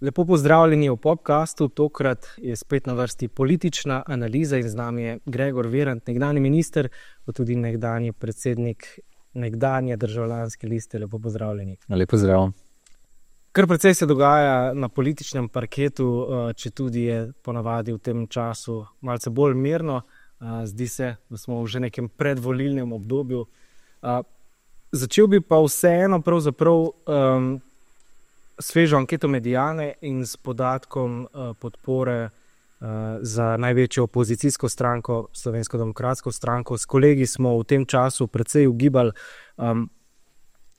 Lepo pozdravljeni v podcastu, tokrat je spet na vrsti politična analiza in z nami je Gregor Virant, nekdanji minister, pa tudi nekdanji predsednik nekdanje Državljanske liste. Lepo pozdravljeni. Lepo zdrav. Kar precej se dogaja na političnem parketu, četudi je ponavadi v tem času malce bolj mirno. Zdi se, da smo v že nekem predvolilnem obdobju. Začel bi pa vseeno pravzaprav svežo anketo Mediane in s podatkom podpore za največjo opozicijsko stranko, Slovensko demokratsko stranko. S kolegi smo v tem času precej ugibali,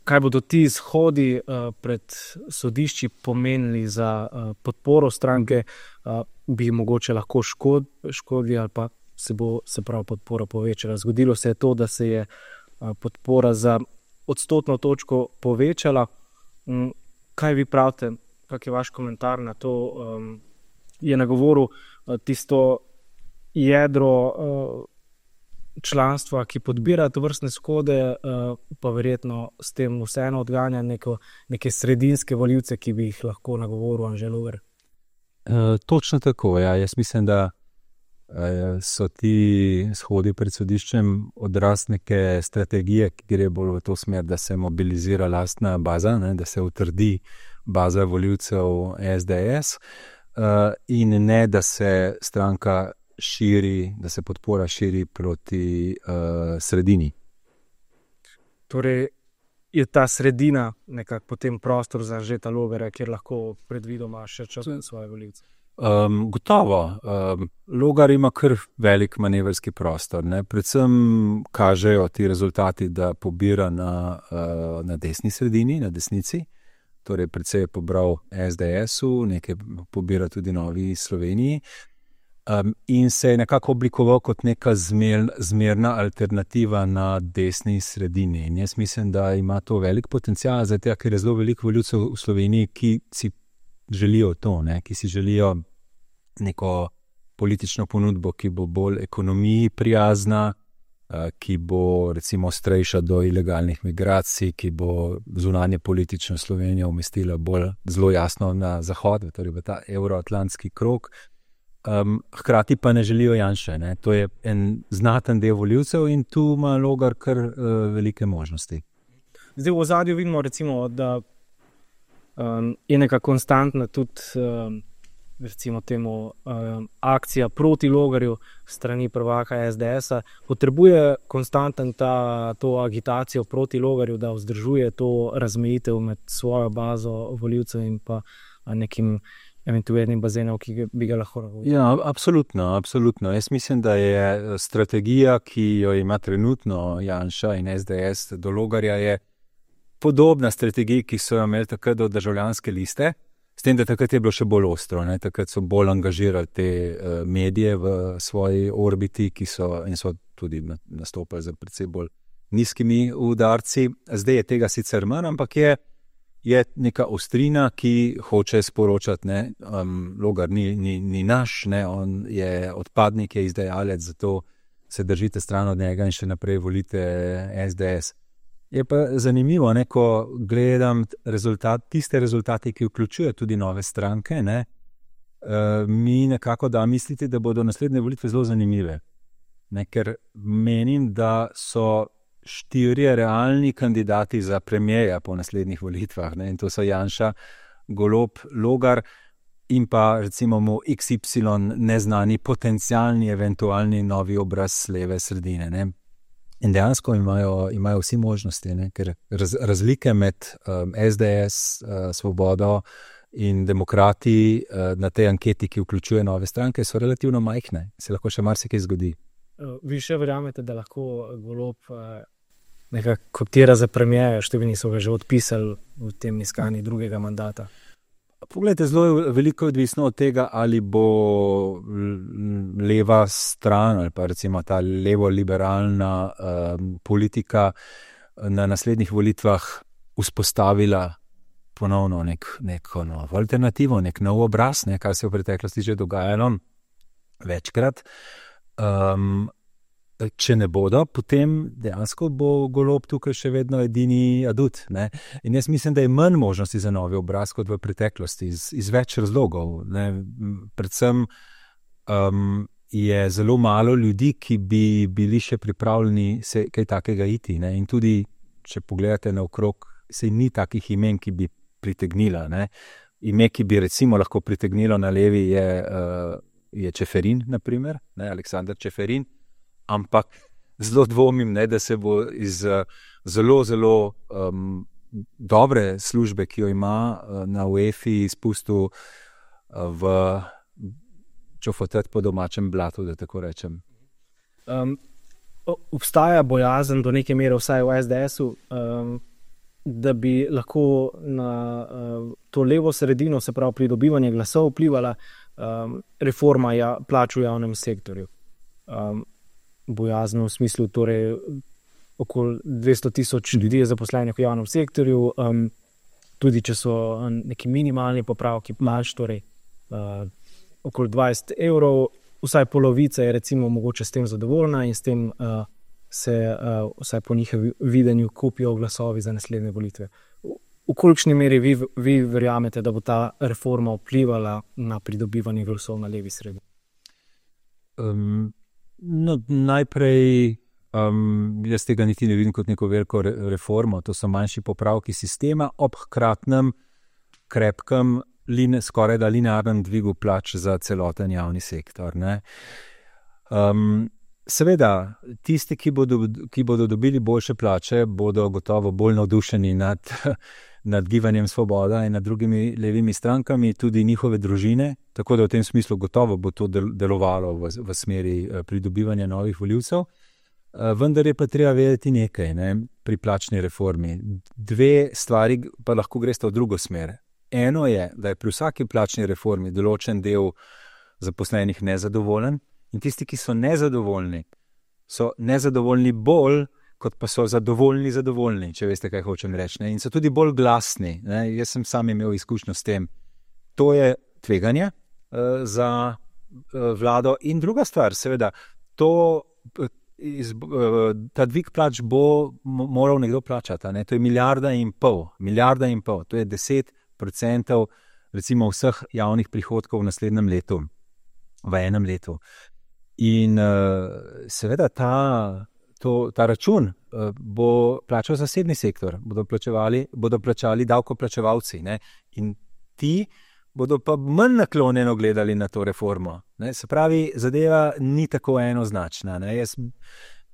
kaj bodo ti izhodi pred sodišči pomenili za podporo stranke, bi mogoče lahko škodili ali pa se prav podpora povečala. Zgodilo se je to, da se je podpora za odstotno točko povečala. Kaj vi pravite, kak je vaš komentar na to? Je nagovoril tisto jedro članstva, ki podbira tovrstne shode, pa verjetno s tem vseeno odganja neke sredinske volivce, ki bi jih lahko nagovoril Anže Logar? Točno tako, ja. Jaz mislim, da so ti shodi pred sodiščem odraz neke strategije, ki gre bolj v to smer, da se mobilizira lastna baza, da se utrdi baza volivcev SDS, in ne, da se stranka širi, da se podpora širi proti sredini. Torej je ta sredina nekako potem prostor za Anžeta Logarja, kjer lahko predvidoma še črpa svoje volivce? Gotovo. Logar ima kar velik manevrski prostor. Predvsem kažejo ti rezultati, da pobira na desni sredini, na desnici. Torej precej je pobral SDS-u, nekaj pobira tudi Novi Sloveniji. In se je nekako oblikoval kot neka zmerna alternativa na desni sredini. In jaz mislim, da ima to velik potencial, zato ker je zelo veliko volivcev v Sloveniji, ki si želijo to, ki si želijo neko politično ponudbo, ki bo bolj ekonomiji prijazna, ki bo recimo ostrejša do ilegalnih migracij, ki bo zunanje politično Slovenijo umestila bolj zelo jasno na zahod, torej v ta evroatlantski krog. Hkrati pa ne želijo Janše. To je en znaten del volivcev in tu ima Logar kar velike možnosti. Zdaj v ozadju vidimo recimo, da je neka konstantna tudi recimo temu akcija proti Logarju strani prvaka SDS-a. Potrebuje konstanten to agitacijo proti Logarju, da vzdržuje to razmejitev med svojo bazo volivcev in pa nekim eventualnim bazenom, ki bi ga lahko navodil. Ja, absolutno. Jaz mislim, da je strategija, ki jo ima trenutno Janša in SDS do Logarja, je podobna strategiji, ki so jo imeli takrat do Državljanske liste, s tem, da takrat je bilo še bolj ostro. Takrat so bolj angažirali te medije v svoji orbiti, in so tudi nastopali za precej bolj nizkimi udarci. Zdaj je tega sicer manj, ampak je neka ostrina, ki hoče sporočati, Logar ni naš, on je odpadnik, je izdajalec, zato se držite stran od njega in še naprej volite SDS. Je pa zanimivo, ko gledam tiste rezultate, ki vključuje tudi nove stranke, mi nekako da misliti, da bodo naslednje volitve zelo zanimive. Ker menim, da so 4 realni kandidati za premierja po naslednjih volitvah. In to so Janša, Golob, Logar in pa recimo XY neznani potencialni, eventualni novi obraz leve sredine. In dejansko imajo vsi možnosti, ker razlike med SDS, Svobodo in Demokrati na tej anketi, ki vključuje nove stranke, so relativno majhne. Se lahko še marsikaj zgodi. Vi še verjamete, da lahko Golob nekako kotira za premierja, številni so ga že odpisali v tem iskanju drugega mandata? Poglejte, zelo veliko je odvisno od tega, ali bo leva stran ali pa recimo ta levo-liberalna politika na naslednjih volitvah vzpostavila ponovno neko novo alternativo, nek nov obraz, kar se v preteklosti že dogajalo večkrat. če ne bodo, potem dejansko bo Golob tukaj še vedno edini adut. Ne? In jaz mislim, da je manj možnosti za novi obraz kot v preteklosti, iz več razlogov. Ne? Predvsem je zelo malo ljudi, ki bi bili še pripravljeni se kaj takega iti. Ne? In tudi, če pogledate naokrog, se ni takih imen, ki bi pritegnila. Ne? Ime, ki bi recimo lahko pritegnilo na levi, je Čeferin, naprimer, ne? Aleksander Čeferin. Ampak zelo dvomim, ne, da se bo iz zelo, zelo dobre službe, ki jo ima na UEFA, spustil v čofotet po domačem blatu, da tako rečem. Obstaja bojazen do neke mere, vsaj v SDS-u, da bi lahko na to levo sredino, se pravi pridobivanje glasov, vplivala reforma plač v javnem sektorju. Bojazno v smislu, torej okoli 200,000 ljudi je zaposlenih v javnem sektorju, tudi če so neki minimalni popravki plač, torej okoli 20 evrov, vsaj polovica je recimo mogoče s tem zadovoljna in s tem se vsaj po njihovem videnju kupijo glasovi za naslednje volitve. V kolikšni meri vi verjamete, da bo ta reforma vplivala na pridobivanje glasov na levi sredini? No, najprej jaz tega niti ne vidim kot neko veliko reformo, to so manjši popravki sistema ob hkratnem, krepkem, skoraj da linearnem dvigu plač za celoten javni sektor. Ne? Seveda, tisti, ki bodo dobili boljše plače, bodo gotovo bolj navdušeni nad Gibanjem Svoboda in nad drugimi levimi strankami, tudi njihove družine, tako da v tem smislu gotovo bo to delovalo v smeri pridobivanja novih volivcev. Vendar je pa treba vedeti nekaj, ne, pri plačni reformi. Dve stvari pa lahko gresta v drugo smer. Eno je, da je pri vsaki plačni reformi določen del zaposlenih nezadovoljen in tisti, ki so nezadovoljni bolj, kot pa so zadovoljni, če veste, kaj hočem reči. Ne? In so tudi bolj glasni. Ne? Jaz sem sam imel izkušnjo s tem. To je tveganje za vlado. In druga stvar, seveda, ta dvig plač bo moral nekdo plačati. Ne? To je milijarda in pol. To je 10% recimo vseh javnih prihodkov v naslednjem letu, v enem letu. In seveda ta račun bo plačal zasebni sektor, bodo plačali davkoplačevalci, ne? In ti bodo pa manj naklonjeno gledali na to reformo. Ne? Se pravi, zadeva ni tako enoznačna. Ne? Jaz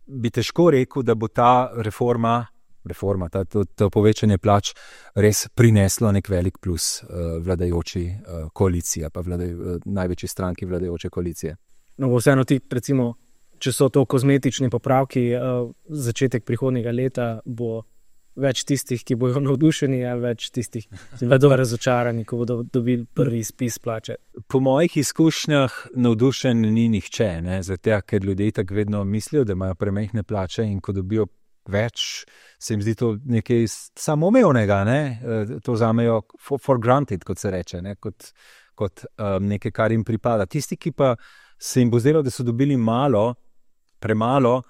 bi težko rekel, da bo ta reforma, to povečanje plač res prineslo nek velik plus vladajoči koaliciji, pa največji stranki vladajoče koalicije. No, vseeno ti, recimo, če so to kozmetični popravki, začetek prihodnjega leta bo več tistih, ki bojo navdušeni, ali več tistih, ki bodo razočarani, ko bodo dobili prvi izpis plače? Po mojih izkušnjah navdušen ni nihče, ne? Zato, ker ljudje tako vedno mislijo, da imajo premajhne plače in ko dobijo več, se jim zdi to nekaj samoumevnega, ne? To vzamejo for granted, kot se reče, ne? Kot nekaj, kar jim pripada. Tisti, ki pa se jim bo zdelo, da so dobili premalo,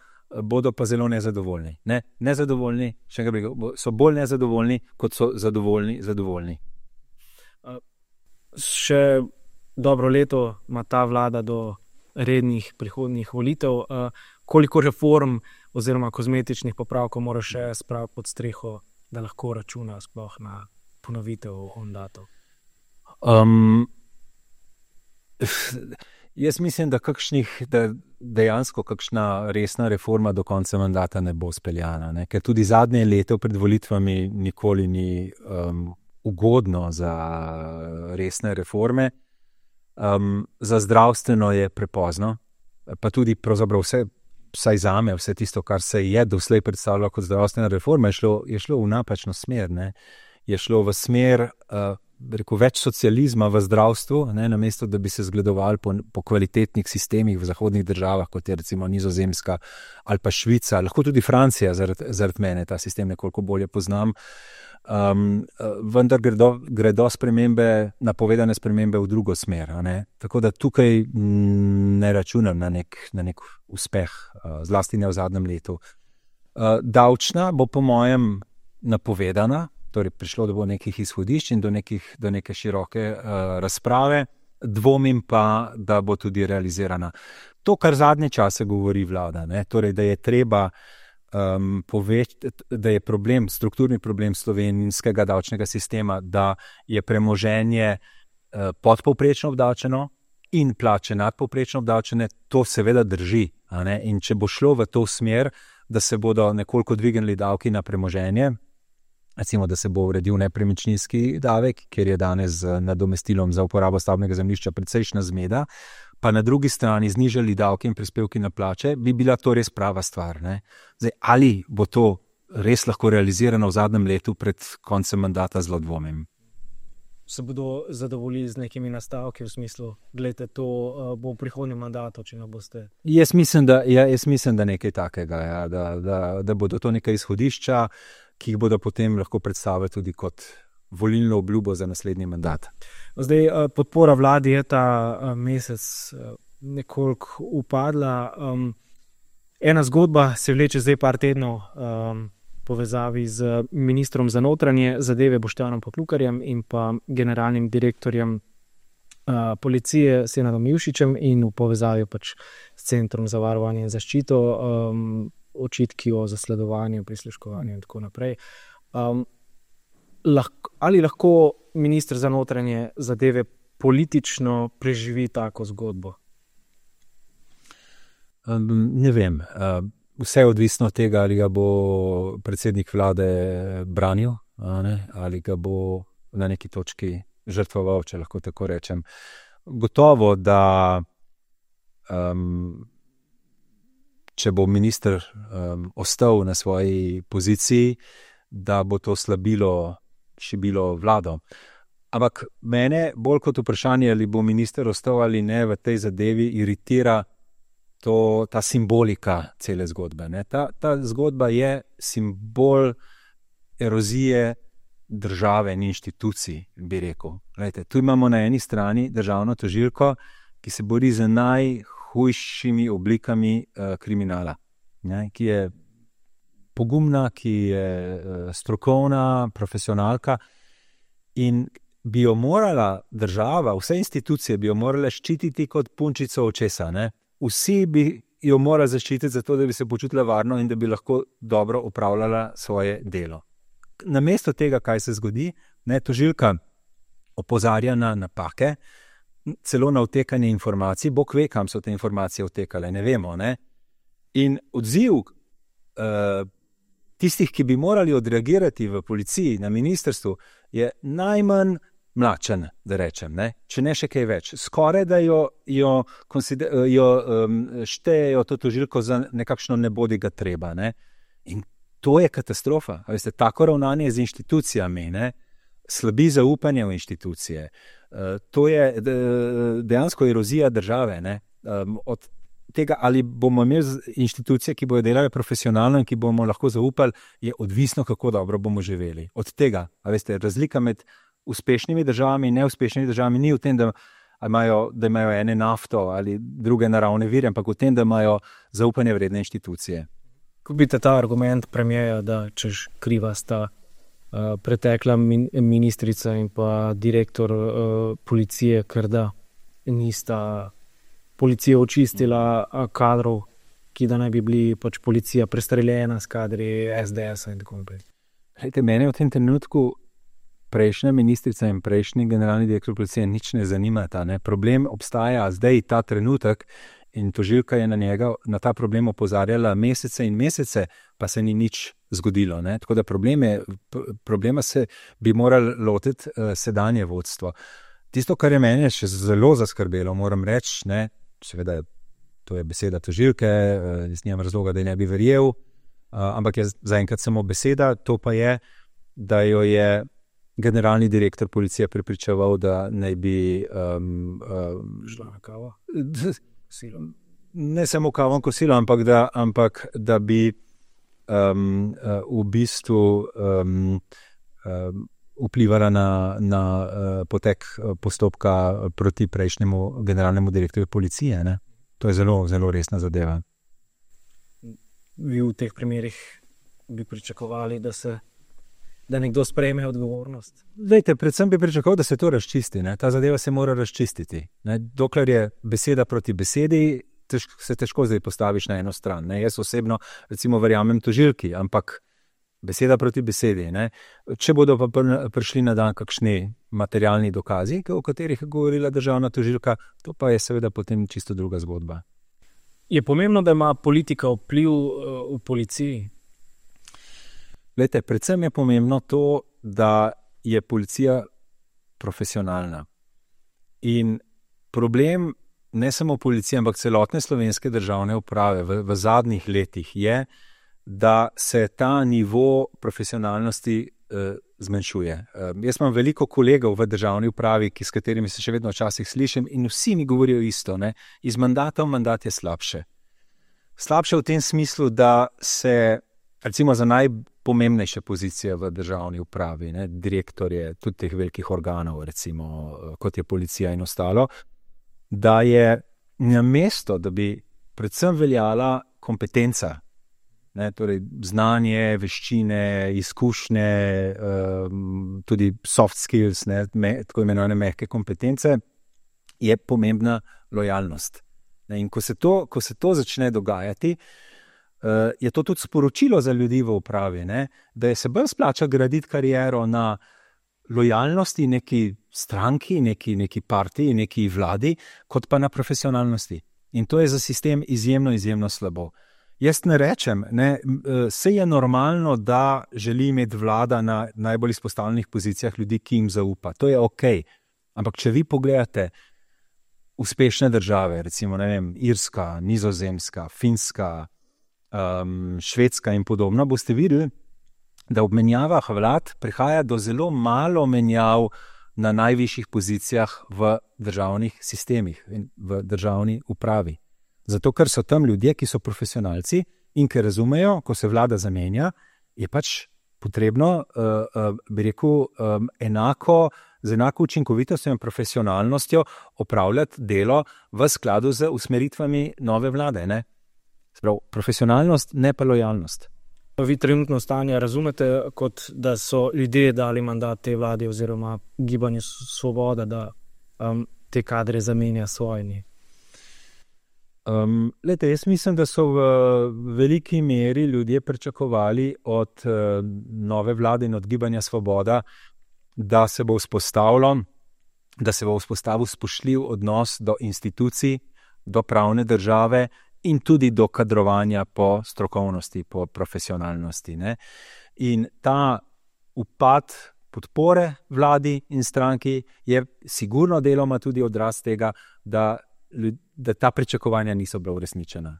bodo pa zelo nezadovoljni. Nezadovoljni, še enkrat rekel, so bolj nezadovoljni, kot so zadovoljni. Še dobro leto ima ta vlada do rednih prihodnjih volitev. Koliko reform oziroma kozmetičnih popravkov mora še spraviti pod streho, da lahko računa sploh na ponovitev mandatov? Jaz mislim, da dejansko kakšna resna reforma do konca mandata ne bo speljana, ne? Ker tudi zadnje leto pred volitvami nikoli ni ugodno za resne reforme. Za zdravstveno je prepozno, pa tudi pravzaprav vsaj zame, vse tisto, kar se je doslej predstavljalo kot zdravstvena reforma, je šlo v napačno smer. Ne? je šlo v smer več socializma v zdravstvu, namesto da bi se zgledovali po kvalitetnih sistemih v zahodnih državah, kot je recimo Nizozemska ali pa Švica, lahko tudi Francija, zaradi mene ta sistem nekoliko bolje poznam. Vendar gredo spremembe, napovedane spremembe v drugo smer. Tako da tukaj ne računam na nek uspeh, zlasti ne v zadnjem letu. Davčna bo po mojem napovedana, torej prišlo do nekih izhodišč in do neke široke razprave, dvomim pa, da bo tudi realizirana. To, kar zadnje čase govori vlada, torej, da je treba da je strukturni problem slovenskega davčnega sistema, da je premoženje podpovprečno obdavčeno in plače nadpovprečno obdavčene, to seveda drži. In če bo šlo v to smer, da se bodo nekoliko dvignili davki na premoženje, recimo, da se bo uredil nepremičninski davek, ker je danes z nadomestilom za uporabo stavbnega zemljišča precejšnja zmeda, pa na drugi strani znižali davke in prispevki na plače, bi bila to res prava stvar. Zdaj, ali bo to res lahko realizirano v zadnjem letu pred koncem mandata, zelo dvomim. Se bodo zadovoljili z nekimi nastavki v smislu, gledajte, to bo v prihodnjem mandatu, če ne boste? Jaz mislim, da nekaj takega, da bodo to neka izhodišča, ki jih bodo potem lahko predstavili tudi kot volilno obljubo za naslednji mandat. Zdaj, podpora vladi je ta mesec nekoliko upadla. Ena zgodba se vleče zdaj par tednov povezavi z ministrom za notranje zadeve Boštjanom Poklukarjem in pa generalnim direktorjem policije Senadom Jušićem in v povezavi pač s Centrom za varovanje in zaščito, očitki o zasledovanju, prisluškovanju in tako naprej. Ali lahko minister za notranje zadeve politično preživi tako zgodbo? Ne vem. Vse je odvisno od tega, ali ga bo predsednik vlade branil, ali ga bo na neki točki žrtvoval, če lahko tako rečem. Gotovo, da če bo minister ostal na svoji poziciji, da bo to šibilo vlado. Ampak mene bolj kot vprašanje, ali bo minister ostal ali ne v tej zadevi, iritira ta simbolika cele zgodbe. Ta zgodba je simbol erozije države in inštitucij, bi rekel. Glejte, tu imamo na eni strani državno tožilko, ki se bori z najhujšimi oblikami kriminala, ki je pogumna, ki je strokovna, profesionalka in bi jo morala država, vse institucije bi jo morale ščititi kot punčico očesa. Vsi bi jo morali zaščititi zato, da bi se počutila varno in da bi lahko dobro opravljala svoje delo. Namesto tega, kaj se zgodi, tožilka opozarja na napake, celo na odtekanje informacij, Bog ve, kam so te informacije odtekale, ne vemo. In odziv tistih, ki bi morali odreagirati v policiji, na ministrstvu, je najmanj mlačen, da rečem, če ne še kaj več. Skoraj da jo štejejo to tožilko za nekakšno nebodiga treba. In to je katastrofa. Veste, tako ravnanje z inštitucijami, slabi zaupanje v inštitucije. To je dejansko erozija države. Od tega, ali bomo imeli inštitucije, ki bodo delale profesionalno in ki bomo lahko zaupali, je odvisno, kako dobro bomo živeli. Od tega, veste, razlika med uspešnimi državami in neuspešnimi državami ni v tem, da imajo ene nafto ali druge naravne vire, ampak v tem, da imajo zaupanje vredne inštitucije. Ko vidite ta argument premierja, da češ kriva sta pretekla ministrica in pa direktor policije, ker da nista policija očistila kadrov, ki da naj bi bili pač policija prestreljena s kadri SDS-a in tako naprej. Mene v tem trenutku prejšnja ministrica in prejšnji generalni direktor policije nič ne zanimata. Problem obstaja zdaj, ta trenutek, in tožilka je na ta problem opozarjala mesece in mesece, pa se ni nič zgodilo. Tako da problema se bi morali lotiti sedanje vodstvo. Tisto, kar je mene še zelo zaskrbelo, moram reči, seveda to je beseda tožilke, jaz nimam razloga, da je ne bi verjel, ampak je zaenkrat samo beseda, to pa je, da jo je generalni direktor policije prepričeval, da naj bi šla na kavo. Ne samo kavo in kosilo, ampak da bi v bistvu vplivala na potek postopka proti prejšnjemu generalnemu direktorju policije. Ne? To je zelo, zelo resna zadeva. Vi v teh primerih bi pričakovali, da nekdo sprejme odgovornost? Dejte, predvsem bi pričakoval, da se to razčisti. Ne? Ta zadeva se mora razčistiti. Ne? Dokler je beseda proti besedi, se težko zdaj postaviš na eno stran. Ne? Jaz osebno recimo verjamem tožilki, ampak beseda proti besedi. Ne? Če bodo pa prišli na dan kakšni materialni dokazi, o katerih je govorila državna tožilka, to pa je seveda potem čisto druga zgodba. Je pomembno, da ima politika vpliv v policiji? Glejte, predvsem je pomembno to, da je policija profesionalna. In problem ne samo policije, ampak celotne slovenske državne uprave v zadnjih letih je, da se ta nivo profesionalnosti zmanjšuje. Jaz imam veliko kolegov v državni upravi, s katerimi se še vedno včasih slišim in vsi mi govorijo isto. Ne? Iz mandata v mandat je slabše. Slabše v tem smislu, da se recimo za najpomembnejše pozicije v državni upravi, ne, direktorje tudi teh velikih organov, recimo kot je policija in ostalo, da je namesto, da bi predvsem veljala kompetenca, ne, torej znanje, veščine, izkušnje, tudi soft skills, ne, tako imenovane mehke kompetence, je pomembna lojalnost. Ne, in ko se to začne dogajati, je to tudi sporočilo za ljudi v upravi, ne? Da se bolj splača graditi kariero na lojalnosti neki stranki, neki partiji, neki vladi, kot pa na profesionalnosti. In to je za sistem izjemno, izjemno slabo. Jaz ne rečem, ne, se je normalno, da želi imeti vlada na najbolj izpostavljenih pozicijah ljudi, ki jim zaupa. To je okej. Ampak če vi pogledate uspešne države, recimo, ne vem, Irska, Nizozemska, Finska, Švedska in podobno, boste videli, da ob menjavah vlad prihaja do zelo malo menjav na najvišjih pozicijah v državnih sistemih in v državni upravi. Zato, ker so tam ljudje, ki so profesionalci in ki razumejo, ko se vlada zamenja, je pač potrebno, bi rekel, z enako učinkovitostjo in profesionalnostjo opravljati delo v skladu z usmeritvami nove vlade, ne? Sprav, profesionalnost, ne pa lojalnost. Vi trenutno stanje razumete, kot da so ljudje dali mandat te vladi oziroma Gibanju Svoboda, da te kadre zamenja svojimi? Glejte, jaz mislim, da so v veliki meri ljudje pričakovali od nove vlade in od Gibanja Svoboda, da se bo vzpostavil spoštljiv odnos do institucij, do pravne države in tudi do kadrovanja po strokovnosti, po profesionalnosti. Ne? In ta upad podpore vladi in stranki je sigurno deloma tudi odraz tega, da ta pričakovanja niso bila uresničena.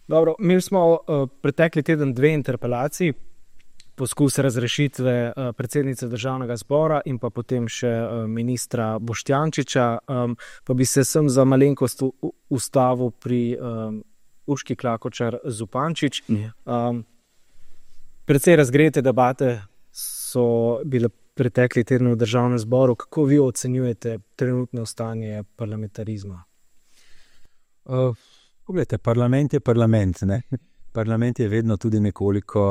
Dobro, imeli smo pretekli teden 2 interpelaciji, poskus razrešitve predsednice Državnega zbora in pa potem še ministra Boštjančiča, pa bi se sem za malenkost ustavil pri Urški Klakočar Zupančič. Precej razgrete debate so bile pretekli teden v Državnem zboru. Kako vi ocenjujete trenutno stanje parlamentarizma? Poglejte, parlament je parlament, ne? Parlament je vedno tudi nekoliko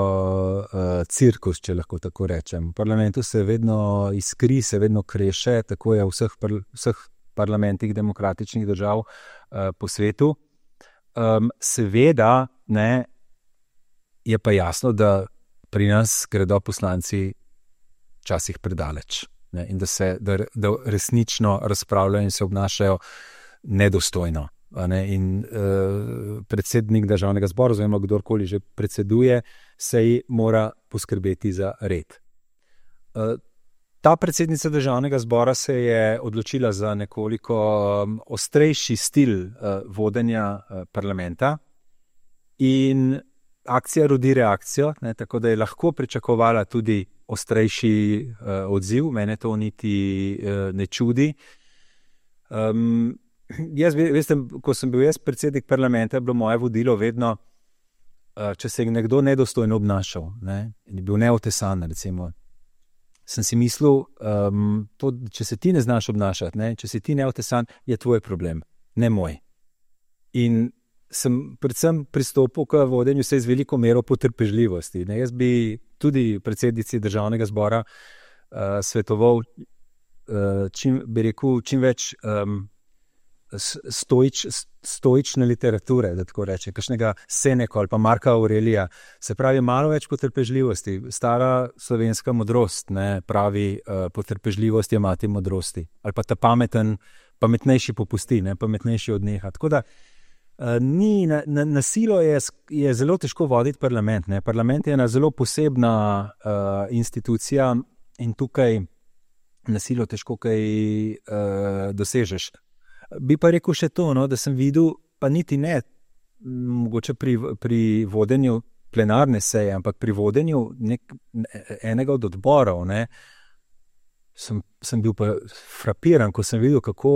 cirkus, če lahko tako rečem. V parlamentu se vedno iskri, se vedno kreše, tako je v vseh parlamentih demokratičnih držav po svetu. Seveda, ne, je pa jasno, da pri nas gredo poslanci včasih predaleč, ne, in da resnično razpravljajo in se obnašajo nedostojno. In predsednik Državnega zbora, oziroma kdorkoli že predseduje, seji mora poskrbeti za red. Ta predsednica Državnega zbora se je odločila za nekoliko ostrejši stil vodenja parlamenta in akcija rodi reakcijo, ne, tako da je lahko pričakovala tudi ostrejši odziv, mene to niti ne čudi. Veste, ko sem bil jaz predsednik parlamenta, je bilo moje vodilo vedno, če se je nekdo nedostojno obnašal, ne, in je bil neotesan, recimo, sem si mislil, če se ti ne znaš obnašati, ne, če si ti neotesan, je tvoj problem, ne moj. In sem predvsem pristopil k vodenju se z veliko mero potrpežljivosti. Ne. Jaz bi tudi predsednici državnega zbora svetoval čim več stoične literature, da tako reče, kakšnega Seneka ali pa Marka Aurelija, se pravi malo več potrpežljivosti. Stara slovenska modrost, ne, pravi potrpežljivost je mati modrosti. Ali pa ta pametnejši popusti, ne, pametnejši odneha. Tako da na silo je zelo težko voditi parlament. Ne. Parlament je ena zelo posebna institucija in tukaj na silo težko kaj dosežeš. Bi pa rekel še to, no, da sem videl, pa niti ne, mogoče pri vodenju plenarne seje, ampak pri vodenju enega od odborov, ne, sem bil pa frapiran, ko sem videl, kako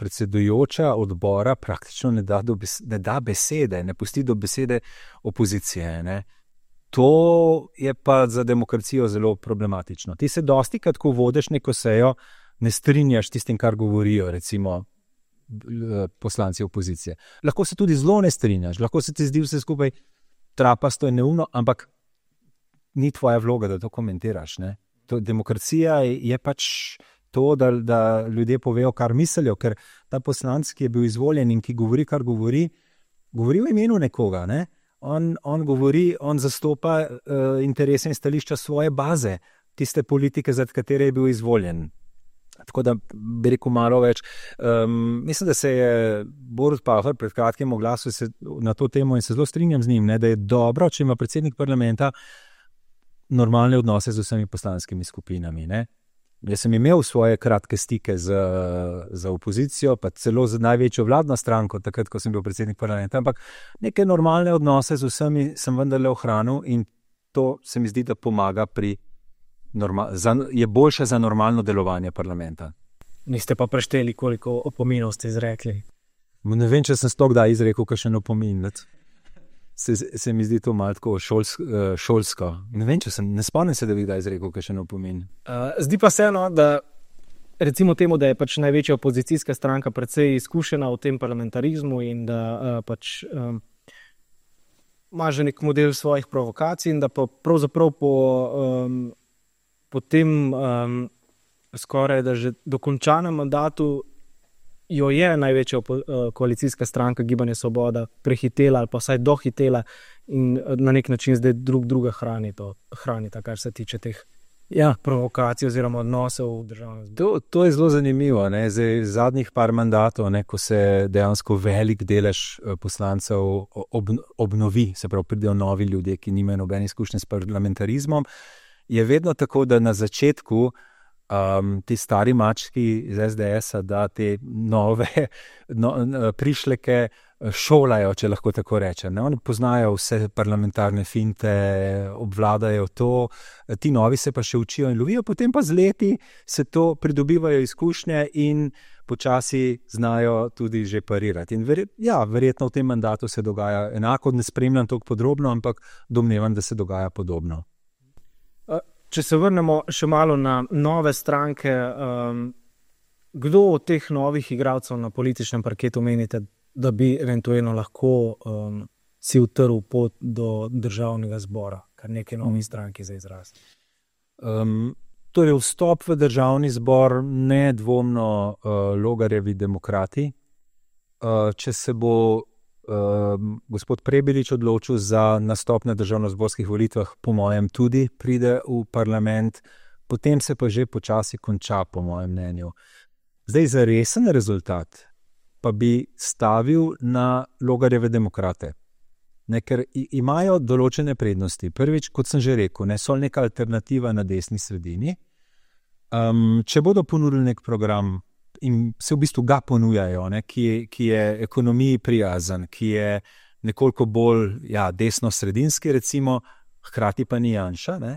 predsedujoča odbora praktično ne da besede, ne pusti do besede opozicije. Ne. To je pa za demokracijo zelo problematično. Ti se dostikrat, ko vodiš neko sejo, ne strinjaš tistim, kar govorijo, recimo, poslanci opozicije. Lahko se tudi zelo ne strinjaš, lahko se ti zdi vse skupaj trapasto in neumno, ampak ni tvoja vloga, da to komentiraš. Ne? Demokracija je pač to, da ljudje povejo, kar mislijo, ker ta poslanec, ki je bil izvoljen in ki govori, kar govori v imenu nekoga. Ne? On govori, on zastopa interese in stališča svoje baze, tiste politike, za katere je bil izvoljen. Tako da bi rekel malo več. Mislim, da se je Borut Pahor pred kratkim oglasil na to temo in se zelo strinjam z njim, ne, da je dobro, če ima predsednik parlamenta normalne odnose z vsemi poslanskimi skupinami. Ne. Jaz sem imel svoje kratke stike z opozicijo, pa celo z največjo vladno stranko, takrat, ko sem bil predsednik parlamenta, ampak neke normalne odnose z vsemi sem vendarle ohranil in to se mi zdi, da pomaga je boljše za normalno delovanje parlamenta. Niste pa prešteli, koliko opominov ste izrekli? Ne vem, če sem kdaj izrekel kakšen opomin. Se mi zdi to malo tako šolsko. Ne spomnim se, da bi kdaj izrekel kakšen opomin. Zdi pa se, no, da recimo temu, da je pač največja opozicijska stranka precej izkušena v tem parlamentarizmu in da pač ima že nek model svojih provokacij in da pa pravzaprav po tem skoraj da že dokončanem mandatu jo je največja koalicijska stranka Gibanje Svoboda prehitela ali pa vsaj dohitela in na nek način zdaj druga hranita, kar se tiče teh provokacij oziroma odnosov v državnem zboru. To je zelo zanimivo. Ne? Zdaj, zadnjih par mandatov, ne, ko se dejansko velik delež poslancev obnovi, se pravi pridejo novi ljudje, ki nimajo nobene izkušnje s parlamentarizmom, je vedno tako, da na začetku ti stari mački iz SDS-a, da te nove prišleke šolajo, če lahko tako rečem. Oni poznajo vse parlamentarne finte, obvladajo to, ti novi se pa še učijo in lovijo, potem pa z leti se to pridobivajo izkušnje in počasi znajo tudi že parirati. In verjetno v tem mandatu se dogaja enako, ne spremljam toliko podrobno, ampak domnevam, da se dogaja podobno. Če se vrnemo še malo na nove stranke, kdo od teh novih igralcev na političnem parketu menite, da bi eventualno lahko si utrl pot do državnega zbora, kar nekaj novih stranki za izraz? Torej, vstop v državni zbor nedvomno Logarjevi demokrati. Če se bo gospod Prebilič odločil za nastop na državnozborskih volitvah, po mojem tudi pride v parlament, potem se pa že počasi konča, po mojem mnenju. Zdaj, za resen rezultat pa bi stavil na Logarjeve demokrate. Ne, ker imajo določene prednosti. Prvič, kot sem že rekel, so neka alternativa na desni sredini. Če bodo ponudili nek program, in se v bistvu ga ponujajo, ne, ki je ekonomiji prijazen, ki je nekoliko bolj desno-sredinski, recimo, hkrati pa ni Janša, ne?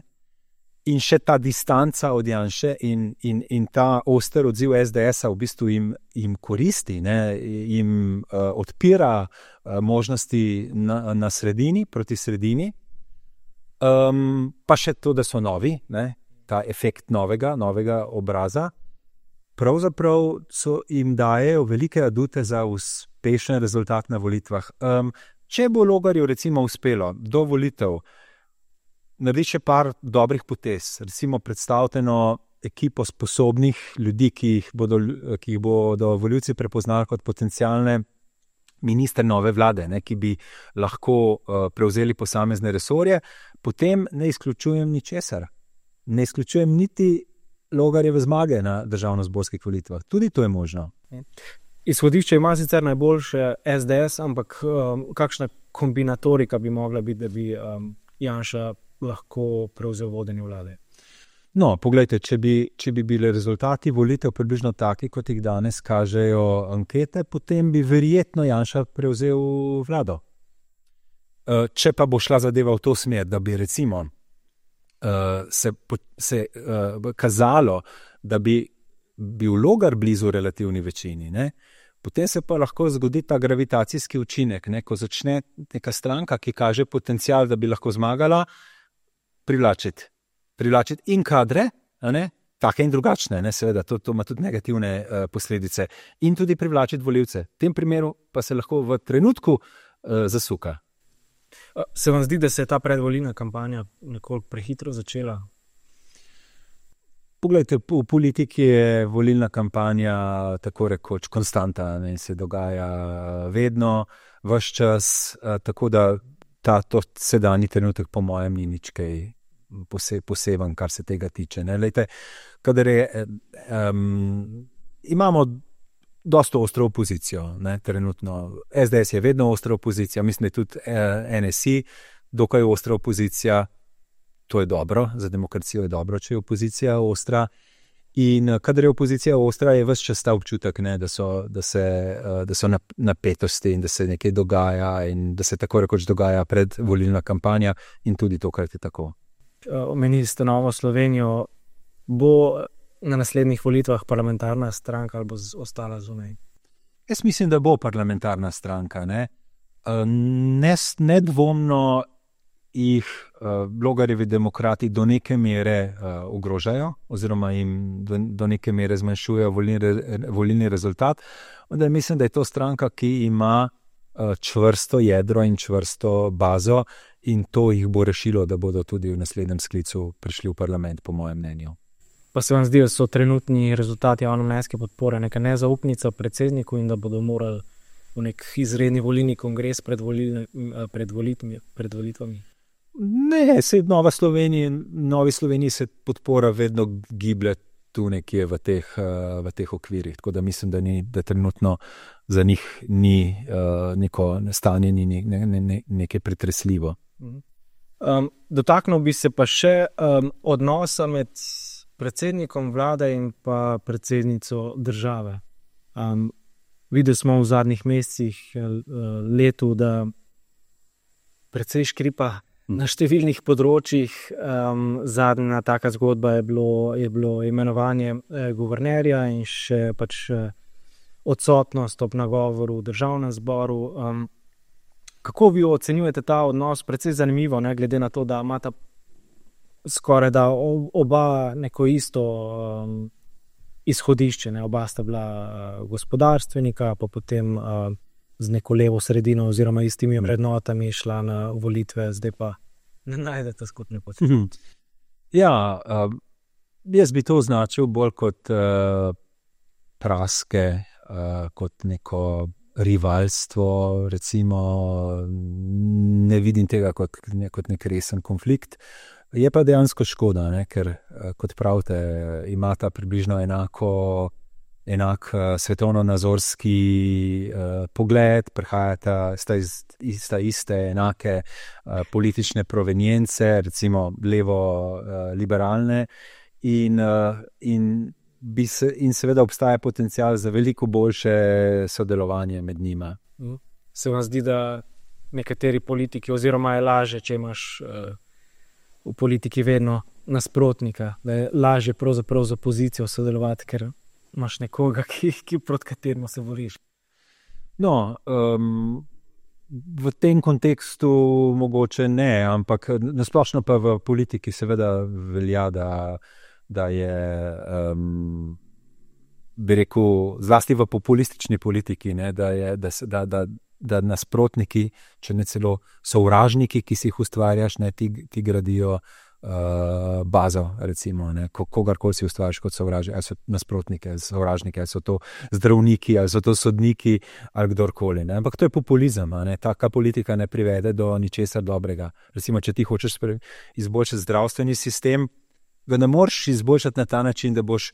In še ta distanca od Janše in ta oster odziv SDS-a v bistvu jim koristi, ne? Jim odpira možnosti na sredini, proti sredini. Pa še to, da so novi, ne? Ta efekt novega obraza. Pravzaprav jim dajejo velike adute za uspešen rezultat na volitvah. Če bo Logarju recimo uspelo do volitev narediti še par dobrih potez, recimo predstavljeno ekipo sposobnih ljudi, ki jih bodo volivci prepoznali kot potencialne ministre nove vlade, ne, ki bi lahko prevzeli posamezne resorje, potem ne izključujem ničesar. Ne izključujem niti Logarjeve zmage na državnozborskih volitvah. Tudi to je možno. Izhodišče ima sicer najboljše SDS, ampak kakšna kombinatorika bi mogla biti, da bi Janša lahko prevzel vodenje vlade? No, poglejte, če bi bili rezultati volitev približno taki, kot jih danes kažejo ankete, potem bi verjetno Janša prevzel vlado. Če pa bo šla zadeva v to smer, da bi recimo se kazalo, da bi bil Logar blizu relativni večini, ne? Potem se pa lahko zgodi ta gravitacijski učinek, ne? Ko začne neka stranka, ki kaže potencial, da bi lahko zmagala, privlačiti in kadre, ne? Take in drugačne, ne? Seveda, to ima tudi negativne posledice, in tudi privlačiti volivce. V tem primeru pa se lahko v trenutku zasuka. Se vam zdi, da se je ta predvolilna kampanja nekoliko prehitro začela? Poglejte, v politiki je volilna kampanja tako rekoč konstanta, ne, se dogaja vedno, ves čas, tako da to sedanji trenutek po mojem ni nič kaj poseben, kar se tega tiče. Ne. Lejte, kadar imamo dosto ostro opozicijo, ne, trenutno. SDS je vedno ostra opozicija, mislim, da je tudi NSI dokaj ostra opozicija. To je dobro, za demokracijo je dobro, če je opozicija ostra. In kadar je opozicija ostra, je ves čas ta občutek, ne, da so napetosti in da se nekaj dogaja in da se tako rekoč dogaja predvolilna kampanja, in tudi tokrat je tako. Omenili ste Novo Slovenijo. Bo na naslednjih volitvah parlamentarna stranka ali bo ostala zunaj? Jaz mislim, da bo parlamentarna stranka. Nedvomno jih Logarjevi demokrati do neke mere ogrožajo oziroma jim do neke mere zmanjšujejo volilni rezultat. Onda mislim, da je to stranka, ki ima čvrsto jedro in čvrsto bazo, in to jih bo rešilo, da bodo tudi v naslednjem sklicu prišli v parlament, po mojem mnenju. Pa se vam zdi, da so trenutni rezultati javnomnenjske podpore neka nezaupnica predsedniku in da bodo morali v nek izredni volilni kongres pred volitvami? Ne, se Novi Sloveniji se podpora vedno giblje tu nekje v teh okvirih, tako da mislim, da trenutno za njih ni neko stanje, ni nekaj pretresljivo. Dotaknil bi se pa še odnosa med predsednikom vlade in pa predsednico države. Videli smo v zadnjih mesecih, letu, da precej škripa na številnih področjih. Zadnja taka zgodba je bilo imenovanje guvernerja in še pač odsotnost ob nagovoru v državnem zboru. Kako vi ocenjujete ta odnos? Precej zanimivo, ne, glede na to, da imata skoraj da oba neko isto izhodišče, ne? Oba sta bila gospodarstvenika, pa potem z neko levo sredino oziroma istimi vrednotami šla na volitve, zdaj pa ne najdete skupne poti. Ja, jaz bi to označil bolj kot praske, kot neko rivalstvo, recimo, ne vidim tega kot nek resen konflikt. Je pa dejansko škoda, ne? Ker, kot pravite, imata približno enak svetovno-nazorski pogled, sta iste enake politične provenience, recimo levo-liberalne, in seveda obstaja potencial za veliko boljše sodelovanje med njima. Se vam zdi, da nekateri politiki, oziroma je lažje, če imaš v politiki vedno nasprotnika, da je lažje pravzaprav z opozicijo sodelovati, ker imaš nekoga, proti kateremu se boriš. No, v tem kontekstu mogoče ne, ampak nasplošno pa v politiki seveda velja, da je, bi rekel, zlasti v populistični politiki, ne, da nasprotniki, če ne celo sovražniki, ki si jih ustvarjaš, ne, ti gradijo bazo, recimo, ne, kogarkoli si ustvarjaš kot sovražnik, ali so nasprotnike, sovražniki, ali so to zdravniki, ali so to sodniki, ali kdorkoli, ne. Ampak to je populizem, ne. Taka politika ne privede do ničesar dobrega. Recimo, če ti hočeš izboljšati zdravstveni sistem, ga ne moreš izboljšati na ta način, da boš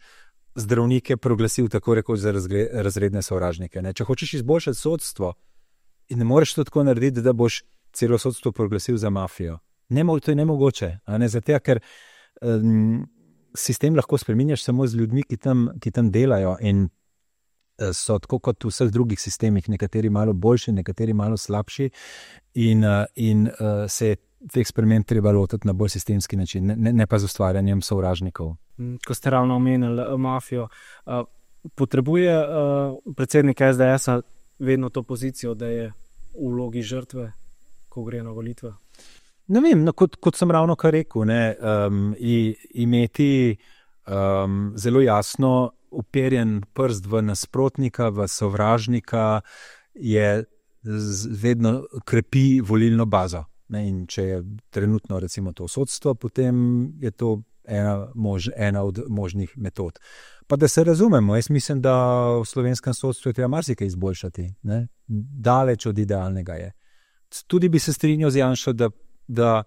zdravnike proglasil tako rekoč za razredne sovražnike, ne. Če hočeš izboljšati sodstvo, in ne moreš to tako narediti, da boš celo sodstvo proglasil za mafijo. To je nemogoče, ne? Zato, ker sistem lahko spreminjaš samo z ljudmi, ki tam delajo in so tako kot v vseh drugih sistemih, nekateri malo boljši, nekateri malo slabši in se je teh sprememb treba lotiti na bolj sistemski način, ne pa z ustvarjanjem sovražnikov. Ko ste ravno omenili mafijo, potrebuje predsednik SDS-a vedno to pozicijo, da je v vlogi žrtve, ko gre na volitve? Ne vem, no, kot sem ravno kar rekel, imeti zelo jasno uperjen prst v nasprotnika, v sovražnika je vedno krepi volilno bazo. Ne, in če je trenutno recimo to sodstvo, potem je to ena od možnih metod. Pa da se razumemo, jaz mislim, da v slovenskem sodstvu je treba marsikaj izboljšati. Ne? Daleč od idealnega je. Tudi bi se strinjal z Janšo, da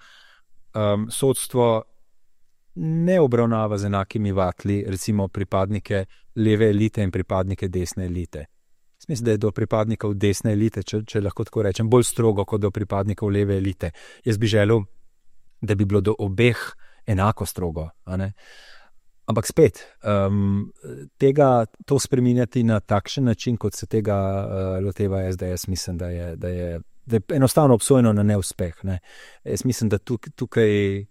sodstvo ne obravnava z enakimi vatli, recimo pripadnike leve elite in pripadnike desne elite. Mislim, da je do pripadnikov desne elite, če lahko tako rečem, bolj strogo kot do pripadnikov leve elite. Jaz bi želel, da bi bilo do obeh enako strogo. Ampak spet, to spreminjati na takšen način, kot se tega loteva SDS, mislim, da je enostavno obsojeno na neuspeh. Ne. Jaz mislim, da tukaj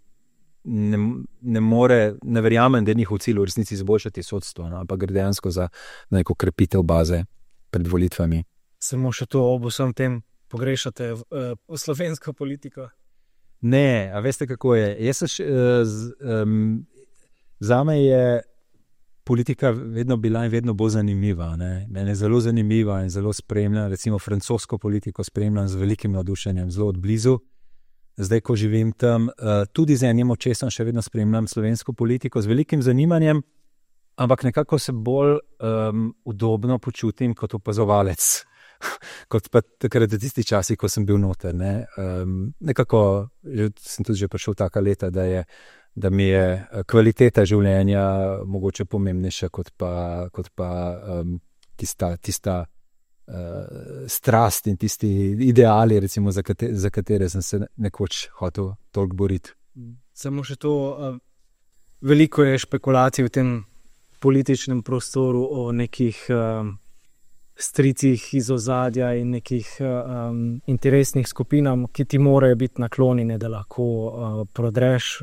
ne verjamem, da je njihov cilj v resnici izboljšati sodstvo, ampak gre dejansko za neko krepitev baze pred volitvami. Samo še to ob vsem tem pogrešate v slovensko politiko? Ne, a veste kako je? Zame je politika vedno bila in vedno bo zanimiva. Ne? Mene je zelo zanimiva in zelo spremljam, recimo francosko politiko spremljam z velikim navdušenjem, zelo od blizu. Zdaj, ko živim tam, tudi z enim očesom še vedno spremljam slovensko politiko z velikim zanimanjem, ampak nekako se bolj udobno počutim kot opazovalec, kot pa takrat v tisti časi, ko sem bil noter. Ne? Nekako sem tudi že prišel taka leta, da mi je kvaliteta življenja mogoče pomembnejša kot pa tista strast in tisti ideali, recimo, za katere sem se nekoč hotel toliko boriti. Samo še to, veliko je špekulacij v tem političnem prostoru o nekih stricih iz ozadja in nekih interesnih skupinam, ki ti morajo biti naklonjene, da lahko prodreš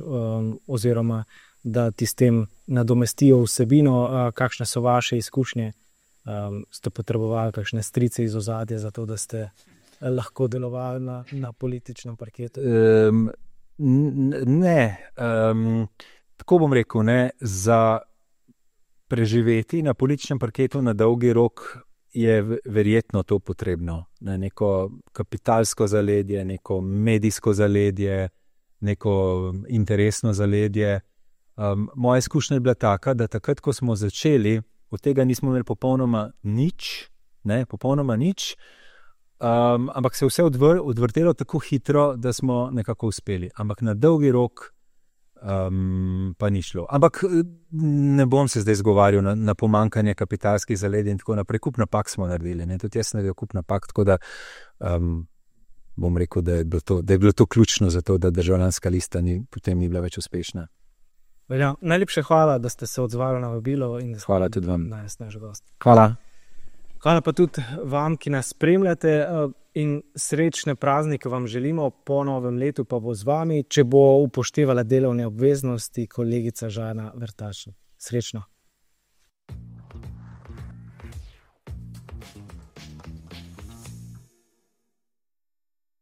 oziroma da ti s tem nadomestijo vsebino. Kakšne so vaše izkušnje? Ste potrebovali kakšne strice iz ozadja za to, da ste lahko delovali na političnem parketu? Ne. Tako bom rekel, ne, za preživeti na političnem parketu na dolgi rok je verjetno to potrebno. Ne, neko kapitalsko zaledje, neko medijsko zaledje, neko interesno zaledje. Moja izkušnja je bila taka, da takrat, ko smo začeli, od tega nismo imeli popolnoma nič, ampak se je vse odvrtelo tako hitro, da smo nekako uspeli. Ampak na dolgi rok pa ni šlo. Ampak ne bom se zdaj zgovarjal na pomankanje kapitalskih zaledij in tako naprej. Kup napak smo naredili. Ne? Tudi jaz sem naredil kup napak, tako da bom rekel, da je bilo to ključno za to, da Državljanska lista potem ni bila več uspešna. Velja, najlepše hvala, da ste se odzvali na vabilo. Hvala tudi vam. Danes naš gost. Hvala. Hvala pa tudi vam, ki nas spremljate, in srečne praznike vam želimo, po novem letu pa bo z vami, če bo upoštevala delovne obveznosti, kolegica Žana Vrtačnik. Srečno.